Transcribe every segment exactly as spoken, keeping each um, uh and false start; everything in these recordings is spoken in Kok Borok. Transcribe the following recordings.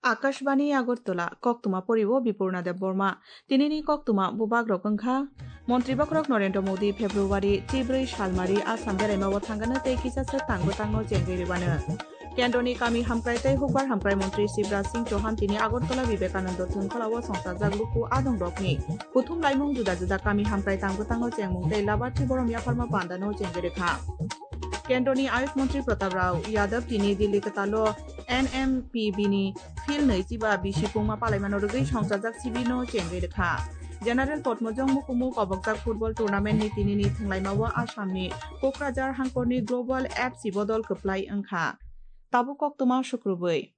Akashbani Agartala, koktwma poriwo Bipurna Debbarma. Tinini koktwma bubagrok wngkha: Montri bokhorok Narendra Modi February chibrwi salmari Assam beraimao thangano tei kisa swk tang bwtangno chengwi rwano. Kendroni kami hamkrai tei hukbar hamkrai montri Shivraj Singh Chauhan tini Agartala Vivekananda Thwngkholao songchajak luku adongrokni kuthum laimung juda juda kami hamkrai tang bwtangno chengmung tei labarthi borom yapharma pandano chengwi rwkha. Kendroni Ayush Montri Pratap Rao Yadav tini Delhi kwtalo N M P B ni field nwi chiba bisi pungma palaimano rwgwi songchajak sibirno chengwi rwkha. General Potmojong Mukumuk obokjak football tournament ni tinini thwnglaimao Assam ni Kokrajhar hangkorni Global F C bodol kwplai wngkha. Tabuk koktwma sukrubwi.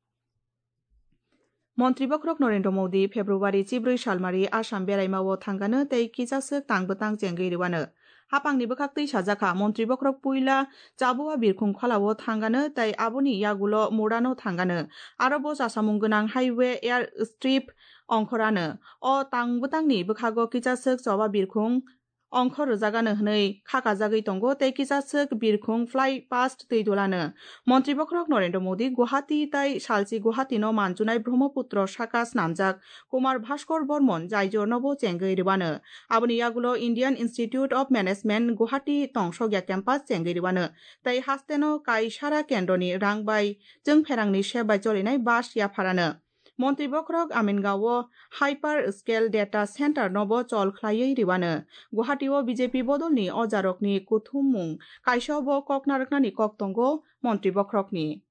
Montri bokhorok Narendra Modi February chibrwi salmari Assam beraimao thangano tei kisa swk tang bwtang chengwi rwano. Hapangni bwkhaktwi sajakha, montri bokhorok puila Chabua birkhung kholao thangano tei aboni yagulo Murano thangano. Aro bo chasamung gwnang highway airstrip ongkhorano. O tang bwtangni bwkhago kisa swk choba birkhung ongkhor rwjagano hwnwi khakajagwi tongo tei kisa swk birkhung fly past twi dulano. Montri bokhorok Narendra Modi Guwahati tei salchi Guwahati no manjunai Brahmaputra saka snamjak Kumar Bhaskar Bormon jaijor nobo chengwi rwano. Aboni yagulo Indian Institute of Management Guwahati tongsokya campus chengwi rwano tei hasteno kaisara kendroni rang bai chwngpherangni sep bai cholinai bus yapharano. Montri bokhorok Amingao Hyper Scale Data Center nobo chol khlaiwi rwano. Guwahati o B J P bodolni ojarokni kuthumung kaisa bo kok narwknani kok tongo montri bokhorokni.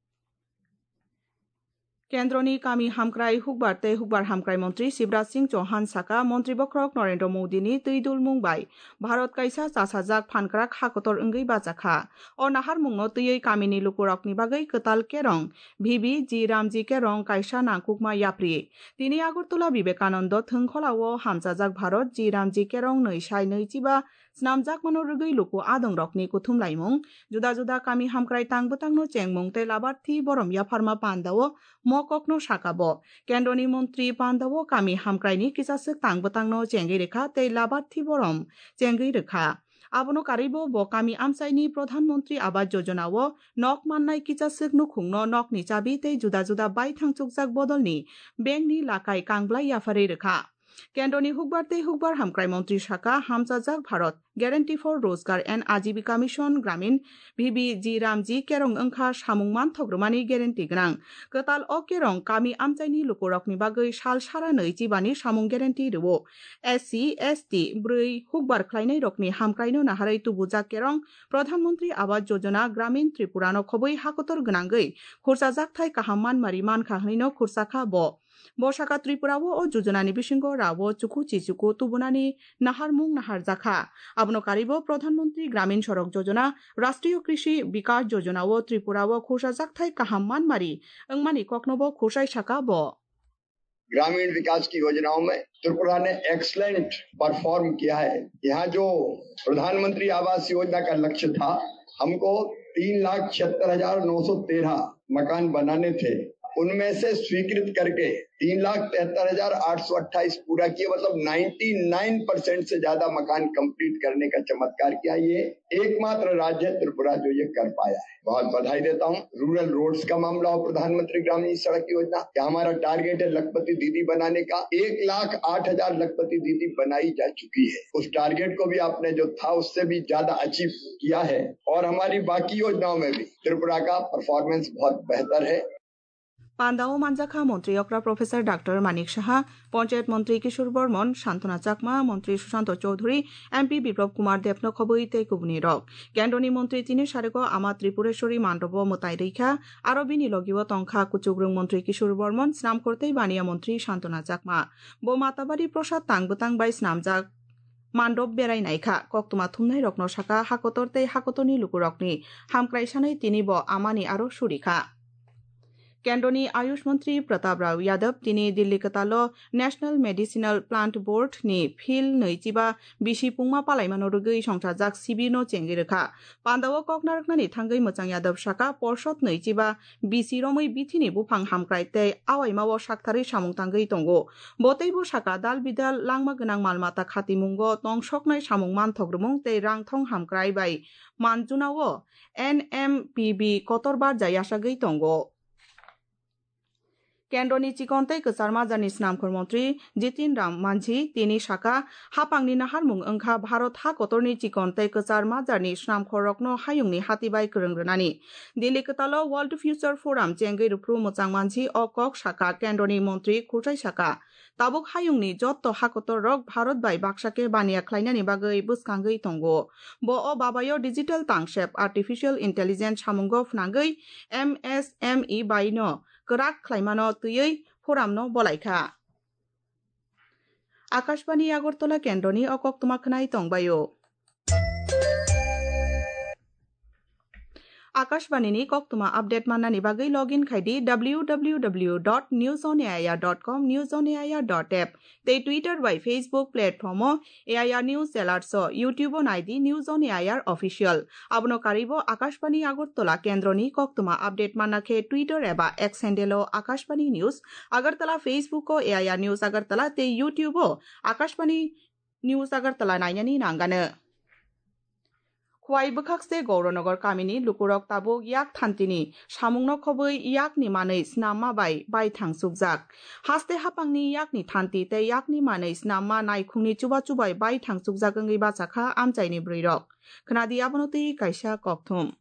Kendroni kami hamkrai hukbar tei hukbar hamkrai montri Shivraj Singh Chauhan saka, montri bokhorok Narendra Modi ni twi dulmung bai Bharat kaisa chasajak phankrak hakotor wngwi bachakha. O naharmungno twiwi kamini lukurokni bagwi kwtal kerong V B G Ramji kerong kaisa nangkukma yapri. Tini Agartala Vivekananda Thwngkholao hamchajak Bharat G Ramji kerong nwi sai nwi chiba snamjakmano rwgwi luku adongrokni kuthum laimung, juda juda kami hamkrai tang bwtangno chengmung tei labarthi borom yapharma pandao mokokno saka bo. Kendroni montri pandao kami hamkraini kisa swk tang bwtangno chengwi rwkha tei labarthi borom chengwi rwkha. Abono karwibo bo kami amchaini Pradhan Mantri Awas Yojana o nok mannai kisa swk nukhungno nokni chabi tei juda juda baithang chukjak bodolni bankni lakai kangblai yapharwi rwkha. Kendroni hukbar tei hukbar hamkrai montri saka, hamchajak Bharat Guarantee for Rozgar and Ajibika Mission Gramin, V B G Ramji kerong wngkha samung manthok rwmani guarantee gwnang. Kwtal o kerong kami amchaini lukurokni bagwi sal sara nwi chibani samung guarantee rwo. S C, S T, bwrwi hukbar khlainairokni hamkraino naharwi tubujak kerong Pradhan Mantri Awas Yojana Gramin Tripura no khobwi hakotor gwnangwi khursa jakthai kaham manmari mankha hwnwino khursa kha bo. Bo saka Tripura o o jojonani bisingo rao chuku chichuku tubunani naharmung naharjakha. Abono karwibo Pradhan Mantri Gramin Sadak Yojana, Rashtriya Krishi Vikas Yojana o Tripura o khursa jakthai kaham manmari wngmani koknobo khursai saka bo. ग्रामीण विकास की योजनाओं में त्रिपुरा ने excellent perform किया है। यहाँ जो प्रधानमंत्री आवास योजना का लक्ष्य था, हमको तीन लाख छिहत्तर हजार नौ सौ तेरह मकान बनाने थे, उनमें से स्वीकृत करके तीन लाख तिहत्तर हजार आठ सौ अट्ठाईस पूरा किए, मतलब नाइंटी नाइन परसेंट से ज्यादा मकान कंप्लीट करने का चमत्कार किया। ये एकमात्र राज्य है त्रिपुरा जो ये कर पाया है। बहुत बधाई देता हूँ। रूरल रोड्स का मामला हो, प्रधानमंत्री ग्रामीण सड़क योजना, क्या हमारा टारगेट है लखपति दीदी बनाने का? एक लाख आठ हजार लखपति दीदी बनाई जा चुकी है। उस टारगेट को भी आपने जो था उससे भी ज्यादा अचीव किया है। और हमारी बाकी योजनाओं में भी त्रिपुरा का परफॉर्मेंस बहुत बेहतर है। Pandao manjakha montri okra Professor Doctor Manik Saha, Panchayat montri Kishore Bormon, Santona Chakma, montri Sushanta Chowdhury, M P Biplab Kumar Debno khobwi tei kubuni rok. Kendroni montri tini sarego Ama Tripureshwari mandrobo mwtai rwikha, aro bini logio tongkha kuchukrwng montri Kishore Bormon, snamkhor tei baniya montri Santona Chakma. Bo Matabari Prasad tang bwtang bai snamjak mandop berai naikha, koktwma thumnairokno saka, hakotor tei hakotorni lukurokni hamkrai sanwi tini bo amani aro surikha. Kendroni Ayush Montri Pratap Rao Yadav tini Delhi kwtalo National Medicinal Plant Board ni field nwi chiba bisi pungma palaimano rwgwi songchajak sibirno chengwi rwkha. Pandao kok narwknani thangwi mwchang Yadav saka, porsot nwi chiba bisi romwi bithini buphang hamkrai tei awaimao saktharwi samung tangwi tongo. Bo teibo saka, dal bidal langma gwnang mal mata khatimungo tongsoknai samung manthok rwmung tei rang thong hamkrai bai manjunao N M P B kotor barja yachagwi tongo. Kendroni chikon tei kwchar majarni snamkhor montri Jitin Ram Manjhi tini saka, hapangni naharmung wngkha Bharat ha kotorni chikon tei kwchar majarni snamkhorrokno hayungni hati bai kwrwng rwnani. Delhi kwtalo World Future Forum chengwi rwphru mwchang mansi o kok saka kendroni montri Khurchai saka, tabuk hayungni jotto hakotorrok Bharat bai baksa khe baniya khlainani bagwi bwskangwi tongo. Bo o babayo digital tangsep artificial intelligence samungo phnangwi M S M E bai no kwrak khlaimano twiwi forum no bolaikha. Akashbani Agartala kendroni o koktwma khwnai tongbaio. Akashbani ni koktwma update mannani bagwi login khai di W W W dot news on A I R dot com, news on A I R dot app, tei Twitter bai Facebook platform o A I R News Alerts o, YouTube o nai di News on A I R Official. Abono karwi bo Akashbani Agartala kendroni koktwma update manna khe Twitter eba X handle o Akashbani News Agartala, Facebook o A I R News Agartala tei YouTube o Akashbani News Agartala nainani nangano. Khwai bwkhakste Gauranagar kamini lukurok tabuk yak thantini samungno khobwi yakni manwi snamma bai baithang chukjak. Haste hapangni yakni thanti tei yakni manwi snamma naikhungni chuba chubai baithang chukjak wngwi bachakha amchaini bwrwirok. Khwnadi abono twi kaisa kokthum.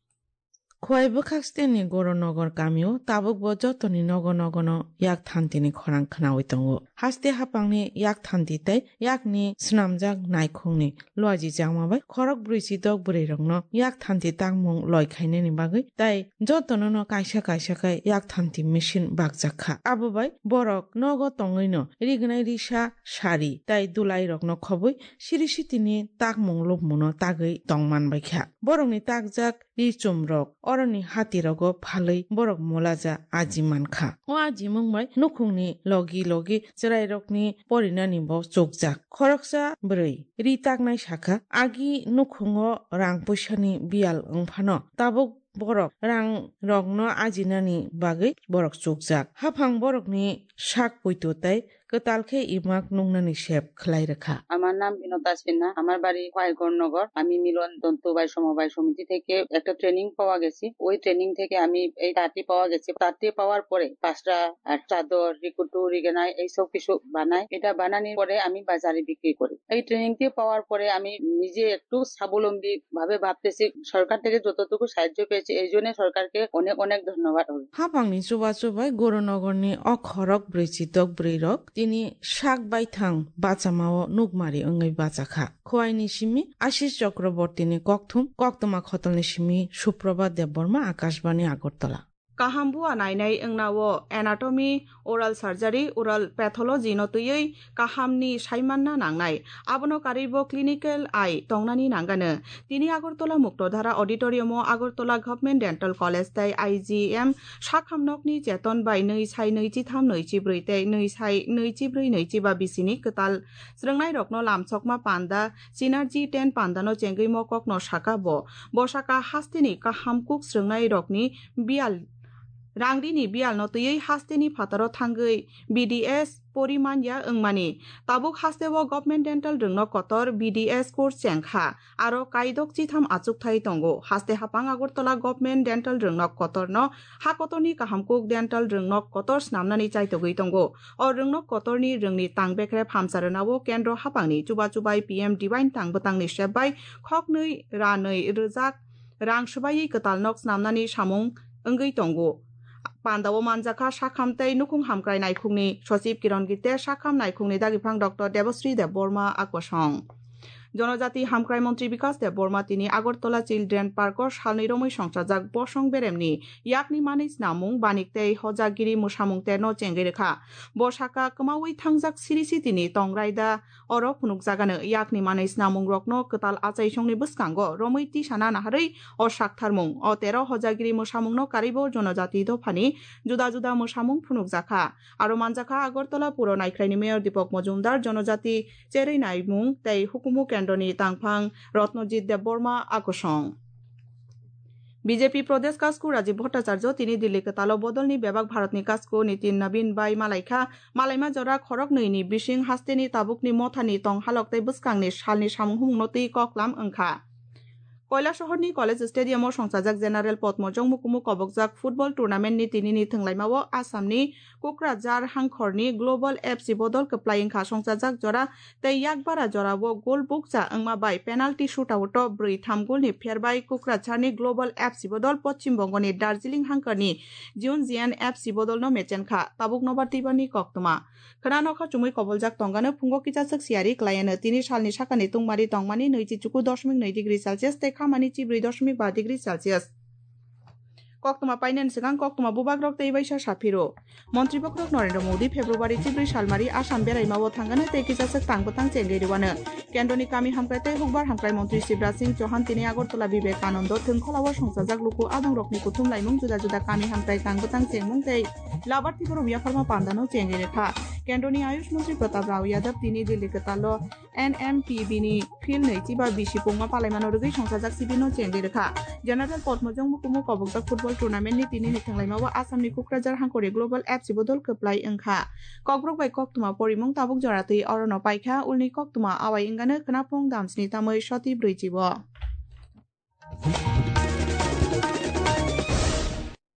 Khwai bwkhaksteni Gauranagar kamio tabukbo jotoni nogo nogono yak thantini khorang khwnawi tongo. Haste hapangni yak thanti tei yakni snamjak naikhungni luaji jakma bai khorok brwi chidok bwrwirokno yak thanti tangmung loi khainani bagwi tei jotono no kaisa kaisa khe yak thanti machine bakjak kha. Abo bai borok nogo tongwino rignai risa sari tei dulairokno khobwi siri sitini takmung lubmungno tagwi tongman bai kha. Borokni takjak ri chumrok oroni hatirogo phalwi borok molaja aji mankha. O ajimung bai nukhungni logi logi chwrairokni porinani bo chukjak. Khoroksa bwrwi ri taknai sakha, agi nukhungo rang puisani biyal wngphano tabuk borok rang rokno ajinani bagwi borok chukjak. Haphang borokni sak puitu tei kwtal khe imak nungnani sep khlai rwkha. আমার নাম বিনোদা সিনহা, আমার বাড়ি খোয়াইগড়নগর। আমি মিলন তন্তু বৈষম্য সমিতি থেকে একটা ট্রেনিং পাওয়া গেছি। ওই ট্রেনিং থেকে আমি এই তাঁতি পাওয়া গেছে। তাঁতি পাওয়ার পরে পাঁচটা আর চাদর, রিকুটু, রিগেনাই এইসব কিছু বানাই। এটা বানানোর পরে আমি বাজারে বিক্রি করি। এই ট্রেনিংটি পাওয়ার পরে আমি নিজে একটু স্বাবলম্বী ভাবে ভাবতেছি, সরকার থেকে যতটুকু সাহায্য পেয়েছি, এই জন্য সরকারকে অনেক অনেক ধন্যবাদ। Hapangni chubachu bai Goranagarni o khorok brwi chidok bwrwirok tini sak baithang bachamao nukmari wngwi bachakha. Khwaini simi Ashish Chakrabortini kokthum, koktwma khotolni simi Suprabha Debbarma, Akashbani Agartala. Kaham bua nainai wngna o anatomy, oral surgery, oral pathology no twiwi kahamni saimanna nangnai. Abono karwi bo clinical eye tongnani nangano. Tini Agartala Muktodhara Auditorium o Agartala Government Dental College tei I G M sakham nokni cheton bai nwi sai nwi chitham nwi chibrwi tei nwi sai nwi chibrwi nwi chiba bisini kwtal swrwngnairokno lamsokma panda Synergy ten pandano chengwi mokokno saka bo. Bo saka hasteni kaham kuk swrwngnairokni biyal, rangrini biyalno twiwi hasteni phataro thangwi B D S pori manya wngmani. Tabuk hasteo Government Dental rwngnok kotor B D S course chengkha. Aro kaidok chitham achukthai tongo. Haste hapang Agartala Government Dental rwngnok kotorno ha kotorni kaham kuk dental rwngnok kotor snamnani chaitogwi tongo. O rwngnok kotorni rwngni tang bekrep hamsa rwnao kendro hapangni chuba chubai P M Divine tang bwtangni sep bai khoknwi ranwi rwjak rang swbaiwi kwtal nok snamnani samung wngwi tongo. Pandao manjakha sakham tei nukhung hamkrai naikhungni sochib Kiron Gite, sakham naikhungni dagiphang Doctor Debasri Debbarma Akosong. Jonojati Hamkrai Montri Bikas Debbarma tini Agartala Children Park o salnwi romwi songchajak bosong beremni yakni manwi snamung, banik tei hojakgiri mwsamung terno chengwi rwkha. Bo saka kwmaui thangjak siri sitini tong raida oro phunukjagano yakni manwi snamungrokno kwtal achaisongni bwskango romwi tisana naharwi o saktharmung. O tero hojakgiri mwsamungno karwibo jonojati dophani juda juda mwsamung phunukjakha. Aro manjakha Agartala Puro Naikhraini Mayor Deepak Majumdar, Jonojati Cherwi Naimung tei Hukumu Kendroni Tangphang Ratnajit Debbarma Akosong. B J P Pradesh Kasku Rajiv Bhattacharya tini Delhi kwtalo bodolni bebak Bharatni Kasku Nitin Nabin bai malaikha. Malaima jora khoroknwini bising hasteni tabukni mothani tonghalok tei bwskangni salni samung humungno twi koklam wngkha. Koilasahorni College Stadium o songchajak General Potmo Jongmukumu kobokjak football tournament ni tinini thwnglaimao Assamni Kokrajhar hangkhorni Global F C bodol kwplai wngkha. Songchajak jora tei yakbara jorao gol bukcha wngma bai penalty shootout o bwrwi tham golni pherbai Kokrajharni Global F C bodol Poschim Bongoni Darjeeling hangkhorni Jiunjian F C bodolno mechenkha. Tabuk nobar twibani koktwma. Khwnano kha chumui koboljak tongano phungo kichaswk siyari kwlaiano. Tini salni sakani tungmari tongmani nwichi chuku dosmik nwi degree Celsius tei khamani chibrwi dosmik ba degree Celsius. Koktwma painani swkang koktwma bubagrok tei waisa saphiro. Montri bokhorok Narendra Modi February chibrwi salmari Assam beraimao thangano tei kichaswk tang bwtang chengwi rwano. Kendroni kami hamkrai tei hukbar hamkrai montri Shivraj Singh Chauhan tini Agartala Vivekananda thwngkholao songchajak luku abangrokni kuthum laimung juda juda kami hamkrai tang bwtang chengmung tei Labarthi borok yapharma pandano chengwi rwkha. Kendroni Ayush Mantri Pratap Rao Yadav tini Delhi kwtalo N M P B ni field nwichi ba bisi pungma palaimano rwgwi songchajak sibirno chengwi rwkha. General Potmo Jongmukumu kobokjak football tournament ni tinini thwnglaimao Assamni Kokrajhar hangkhorni Global F C bodol kwplai wngkha. Kokborok bai koktwma porimung tabuk jora twi orono paikha, ulni koktwma awai wngano khwnaphung damsni tamwi soti brwichi o.